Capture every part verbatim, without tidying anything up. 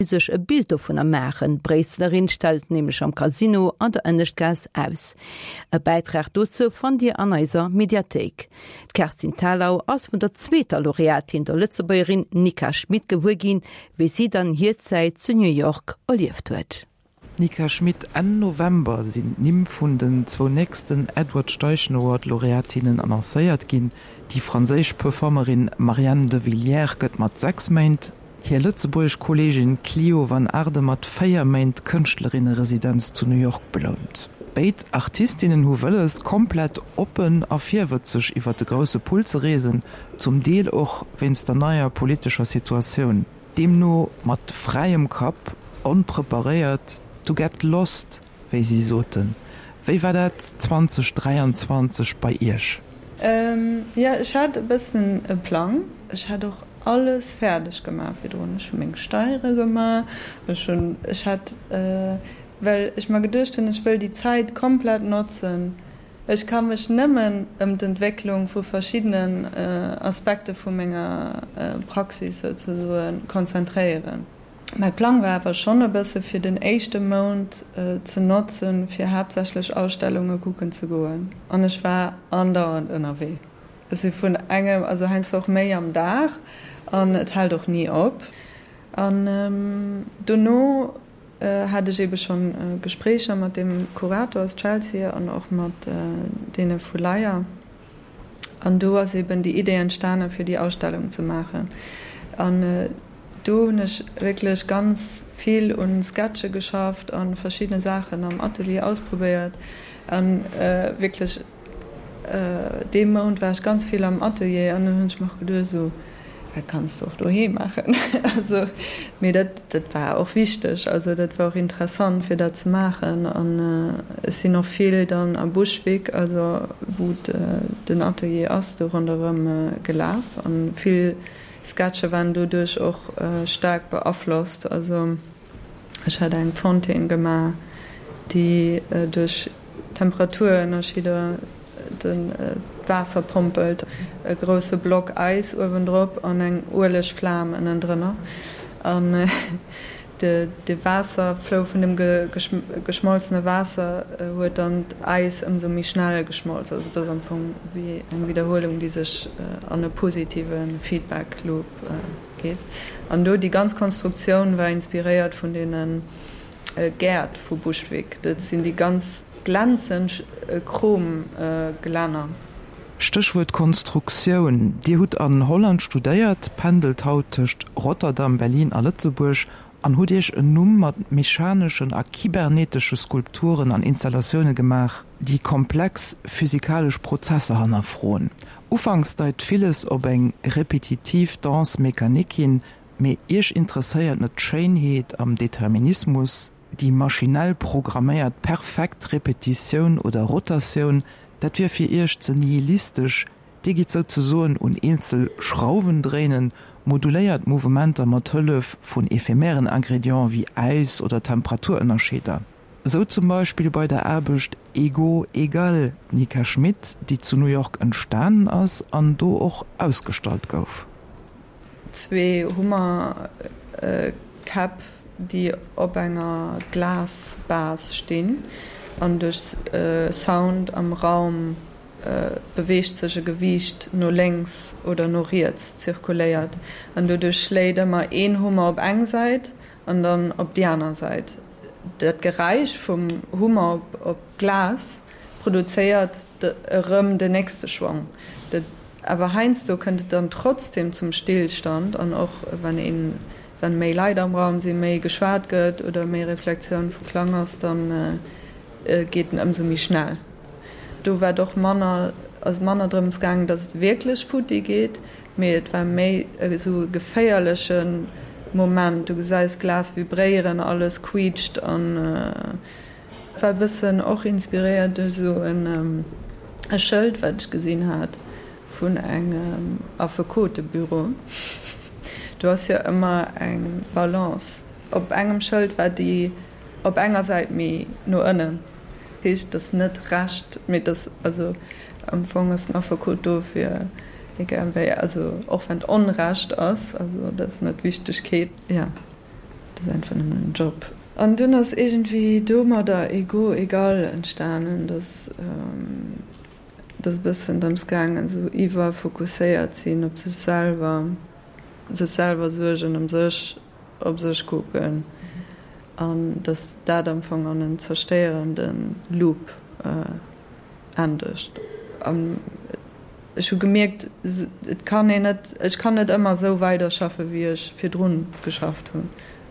sech e Bild dovunner maachen. D'Bréisselerin stellt nämlech am Casino an der Ënneschtgaass aus. E Bäitrag dozou fannt Dir an eiser Mediathéik. D'Kerstin Thalau ass vun der zweeter Laureatin, der Lëtzebuergerin Nika Schmit gewuer ginn, wéi si dann hir Zäit zu New York erlieft huet. Nika Schmit, Enn November sinn d'Nimm vun den zwou nächsten Edward Steichen Award Laureatinnen annoncéiert ginn. Déi franséisch Performerin Marianne Devillers gëtt mat sechs Méint, hir lëtzebuergesch Kolleegin Clio van Aarde mat véier Méint Kënschtlerinneresidenz zu New York belount. Béid Artistinnen hu wëlles, komplett oppen a virwëtzeg iwwer de grousse Pull ze reesen, zum Deel och wéinst der neier politescher Situatioun. Deemno mat fräiem Kapp, onpreparéiert, to get lost, wéi si soten. Wéi war dat zweitausenddräianzwanzeg bei Iech? Jo, ech hat e bëssen e Plang. Ech hat och alles fäerdeg gemaach virdrun. Ech hu meng Steiere gemaach, ech hunn, ech hat, well ech mer geduecht hunn, ech wëll déi Zäit komplett notzen. Ech ka mech nëmmen ëm d'Entwécklung vu verschiddenen Aspekte vu menger Praxis souzesoen konzentréieren. Mäi Plang war awer schonn e bësse fir den éischte Mount ze notzen, fir haaptsächlech Ausstellunge kucken ze goen. An ech war andauernd ënnerwee. Ech si vun engem, also heiansdo och méi am Dag, an et hält och ni op. An dono hat ech eebe schonn Gespréicher mat deem Kurator aus Chelsea an och mat deene vu Leyer. An do ass eeben déi Idee entstanen, fir déi Ausstellung ze maachen. An do hunn ech wierklech ganz vill un Sketche geschafft a verschiddene Saachen am Atelier ausprobéiert. A wierklech dee Mount war ech ganz vill am Atelier an dann hunn ech mer och geduecht, esou, dat kanns de och doheem maachen. Also, mee dat, dat war och wichteg, also dat war och interessant, fir dat ze maachen. An ech sinn och vill dann a Bushwick, also wou den Atelier ass, do ronderëm gelaf an vill Sketche waren doduerch och staark beaflosst. Also ech hat eng Fontaine gemaach, déi duerch Temperaturënnerscheeder d'Waasser pompelt, e grousse Block Äis uewendrop an eng Uelegflam ënnendrënner. An de Waasserflou vun dem geschmolzene Waasser huet dann d'Äis ëmsou méi schnell geschmolz. Also et ass am Fong wéi eng Widderhuelung, déi sech an e positive Feedback Loop geet. An do déi ganz Konstruktioun war inspiréiert vun deene Gäert vu Bushwick. Dat sinn déi ganz glänzend Chromglänner. Stéchwuert Konstruktioun, Dir hutt an Holland studéiert, pendelt haut tëscht Rotterdam, Berlin a Lëtzebuerg an hutt Iech en Numm mat mechaneschen a kybernetesche Skulpturen an Installatioune gemaach, déi komplex physikalesch Prozesser hannerfroen. Ufanks deit villes op eng repetitiv Danse mécanique hin, mee Iech interesséiert net d'Schéinheet am Determinismus, déi maschinell programméiert perfekt Repetitioun oder Rotatioun, dat wier fir Iech ze nihilistesch. Dir gitt souzesoen un eenzel Schrauwen dréinen, moduléiert Mouvementer mat Hëllef vun ephemeren Ingredienten wéi Äis oder Temperaturënnerscheeder. Esou zum Beispill bei der Aarbecht Ego Egal, Nika Schmit, déi zu New York entstanen ass an do och ausgestallt gouf. Zwee Hummerkäpp, déi op enger Glasbase stinn an duerch Sound am Raum beweegt sech e Gewiicht no lénks oder no riets, zirkuléiert an doduerch schléit ëmmer een Hummer op eng Säit an dann op déi aner Säit. Dat Geräisch vum Hummer op d'Glas produzéiert erëm den nächste Schwong. Dat awer heiansdo kënnt et dann trotzdem zum Stillstand an och wann een, wann méi Leit am Raum sinn, méi geschwat gëtt oder méi Reflexioun vu Klang ass, dann geet en ëmsou méi schnell. Do war et och manner, ass et manner drëms gaangen, datt et wierklech futti geet, mee et war méi esou e geféierleche Moment. Du gesäis d'Glas vibréieren, alles quiitscht an et war e bëssen och inspiréiert duerch esou e Schëld, wat ech gesinn hat vun engem Affekotebüro. Do ass jo ëmmer eng Balance. Op engem Schëld war déi op enger Säit méi no ënnen. Heescht, et ass net Recht, mee et ass, also am Fong ass den Affekot do fir egal wéi, also och wann et Onrecht ass, also dat ass net d'Wichtegkeet, jo, Dat ass einfach nëmmen en Job. An dunn ass iergendwéi domadder Ego Egal entstanen, dass et ass e bëssen drëms gaangen, esou iwwerfokusséiert sinn op sech selwer, sech selwer suergen ëm sech, op sech kucken an dass dat am Fong an en zerstéierende Loop endegt. An ech hu gemierkt, et kann een net, ech kann net ëmmer esou weiderschaffe wéi ech virdrun geschafft hunn.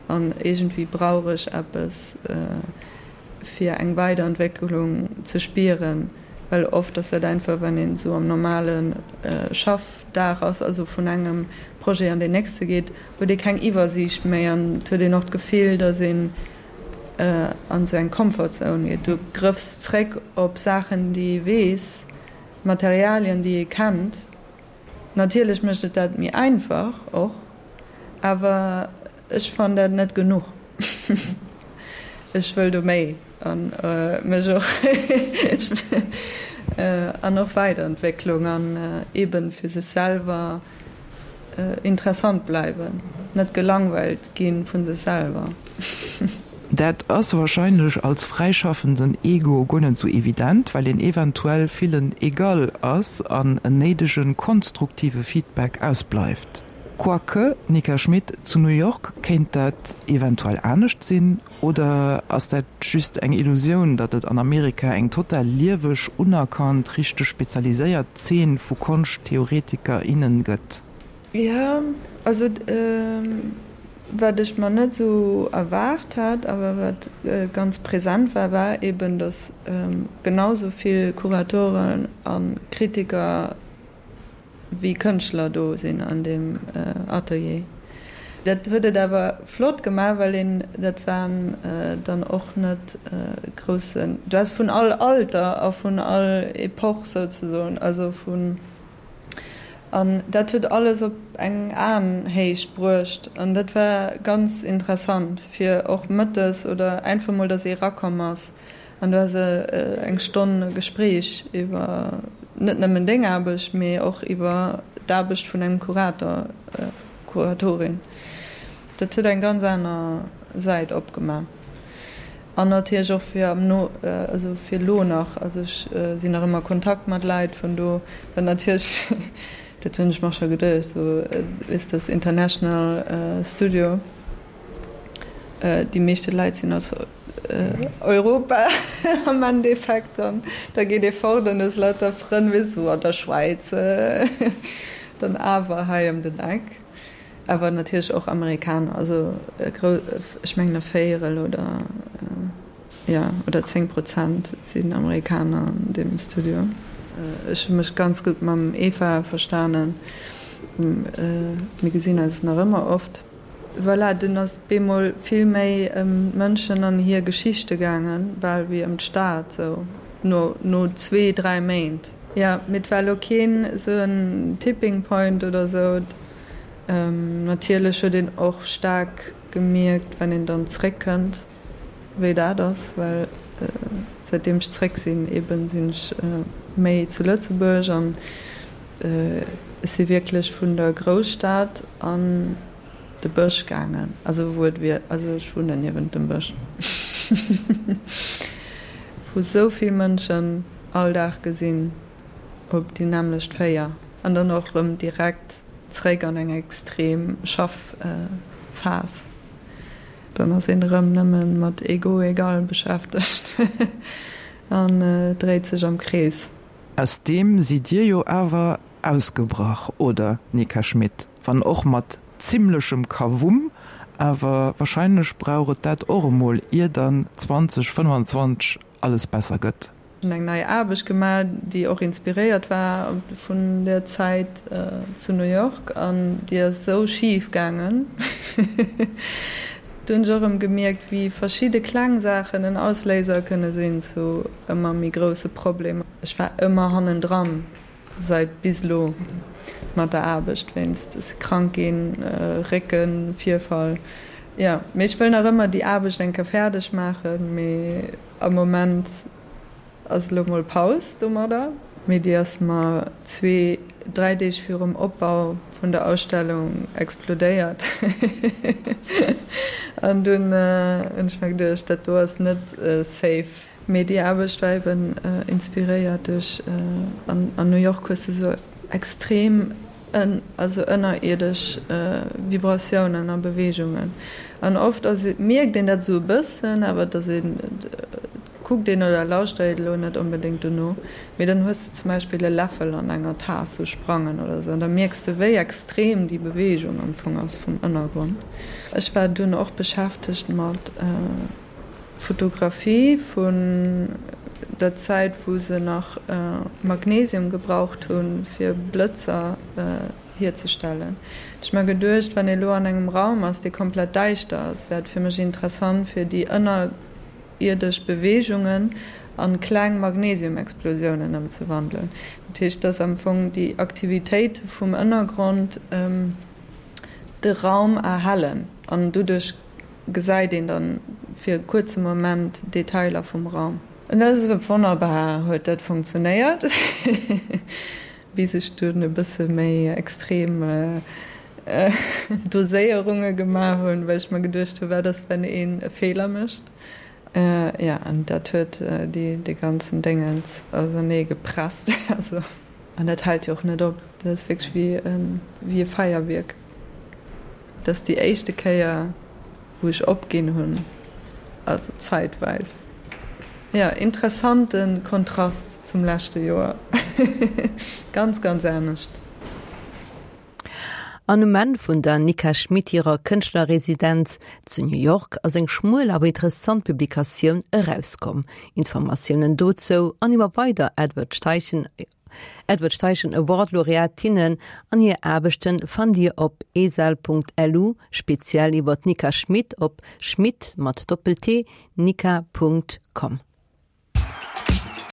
An iergendwéi brauch ech eppes fir eng Weiderentwécklung ze spieren, well oft ass dat einfach, wann een esou am normale Schaffdag ass, also vun engem Projet an deen nächste geet, huet ee keng Iwwersiicht méi an et huet een och d'Gefill, datt een an esou eng Comfort Zone geet. Du grëffs zréck op Saachen, déi ee weess, Materialien, déi ee kennt. Natierlech mécht et dat méi einfach och, awer ech fannen dat net genuch. Ech wëll do méi an mech och an och Weiderentwécklung an eben fir sech selwer interessant bleiwen, net gelangweilt gi vu sech selwer. Dat ass wahrscheinlech als fräischaffenden Ego guer net sou evident, well een eventuell villen egal ass an en néidege konstruktive Feedback ausbleift. Quoique, Nika Schmit, zu New York kéint dat eventuell anescht sinn, oder ass dat just eng Illusioun, datt et an Amerika eng total lieweg, unerkannt, richteg spezialiséiert Zeen vu Konschttheoretiker, innen gëtt? Jo, also wat ech mer net esou erwaart hat, awer wat ganz present war, war eben, datt genau esou vill Kuratoren a Kritiker wéi Kënschtler do sinn an deem Atelier. Dat huet et awer flott gemaach, well een, dat waren dann och net groussen, du has vun all Alter a vun all Epoch souzesoen, also vun, an dat huet alles op eng Aenhéicht bruecht an dat war ganz interessant, fir och mëttes oder einfach mol, datt ee erakomm ass An du has eng Stonn Gespréich iwwer net nëmmen deng Aarbecht, mee och iwwer d'Aarbecht vun engem Kurator, Kuratorin. Dat huet eng ganz aner Säit opgemaach. An natierlech och fir am no, also fir elo nach, also ech sinn nach ëmmer a Kontakt mat Leit vun do, wat natierlech, dat hunn ech mer scho geduecht, esou is das international studio. Déi meeschte Leit sinn aus Europa am Endeffekt an da geet ee fort an hues lauter Frënn, weess du, an der Schwäiz, dann awer hei ëm den Eck. Awer natierlech och Amerikaner, also ech mengen e Véierel oder, jo, oder zéng Prozent sinn Amerikaner an deem Studio. Ech hu mech ganz gutt mam Eva verstanen, mir gesinn eis nach ëmmer oft. Voilà, dunn ass et bemol vill méi ëm d'Mënschen an hir Geschichte gaangen, bal wéi ëm d'Stad, sou no no zwee, dräi Méint. Jo, mee et war elo keen esou en Tipping Point oder sou. Natierlech huet een och staark gemierkt, wann een dann zréckkënnt, wéi dat ass, well säitdeem ech zréck sinn, eben sinn ech méi zu Lëtzebuerg an ech si wierklech vun der Grousstad an de Bësch gaangen, also wou et wier, also ech wunnen niewent dem Bësch, wou sou vill Mënschen all Dag gesinn op déi nämmlecht Véier an dann och erëm direkt zréck an eng extrem Schaffphas. Dann ass een erëm nëmme mat Ego egal beschäftegt an dréit sech am Krees. Aus deem sidd Dir jo awer ausgebrach, oder, Nika Schmit? Wann och mat zimmlechem Kawumm, awer wahrscheinlech brauch et dat och emol, ier dann zwanzeg fënnwanzwanzeg alles besser gëtt. Hunn eng nei Aarbecht gemaach, déi och inspiréiert war vun der Zäit zu New York, an déi ass esou schif gaangen. Do hunn ech och erëm gemierkt, wéi verschidde kleng Saachen en Ausléiser kënne sinn zu ëmmer méi grousse Problemer. Ech war ëmmer hannendran. Seit bis elo mat der Aarbecht wéinst ech si krank ginn, Récken, Virfall, jo. Mee ech wëll nach ëmmer déi Aarbecht eng Kéier fäerdeg maachen, mee am Moment ass elo mol Paus domadder. Mee déi ass mer zwee, dräi Deeg virum Opbau vun der Ausstellung explodéiert. An dunn hunn ech mer geduecht, dat do ass net safe. Mee déi Aarbecht war eben inspiréiert duerch, an New York hues de sou extrem also ënnerierdesch Vibratiounen a Beweegungen. An oft ass et, mierkt een dat esou e bëssen, awer et ass een, kuckt een oder lauschtert een elo net onbedéngt dono. Mee dann hues de zum Beispill e Läffel an enger Taass sou sprangen oder esou an da mierks de wéi extrem déi Beweegung am Fong ass vum Ënnergrond. Ech war dunn och beschäftegt mat Fotografie vun der Zäit wou se nach Magnesium gebraucht hu fir Blëtzer hierzestellen. Ech mer geduecht, wann ee lo an engem Raum ass dee komplett däischter ass, wär et fir mech interessant fir déi ënnerierdesch Beweegungen an kleng Magnesiumexplosiounen ëmzewandelen. Dat heescht, dass am Fong déi Aktivitéite vum Ënnergrond de Raum erhellen an doduerch gesäit een dann fir e kuerze Moment Detailer vum Raum. An dat ass wonnerbar, huet dat funktionéiert, bis ech dunn e bësse méi extrem Doséierunge gemaach hunn, well ech mer geduecht hunn, wat ass, wenn een e Feeler mécht? Jo, an dat huet déi dee ganzen Déngens ausernee gepresst. Also, an dat hält jo och net op, dat ass wierklech wéi wéi e Feierwierk. Dat ass déi éischte Kéier, wou ech opginn hunn, also zäitweis. Jo, interessante Kontrast zum leschte Joer. Ganz, ganz anescht. An um Enn vun der Nika Schmit hirer Kënschtlerresidenz zu New York ass eng schmuel awer interessant Publikatioun erauskomm. Informatiounen dozou an iwwer weider Edward Steichen Edward Steichen Award Laureatinnen an hir Aarbechten fannt Dir op esal.lu, speziell iwwer d'Nika Schmit op schmitt mat Doppel-T nika Punkt com.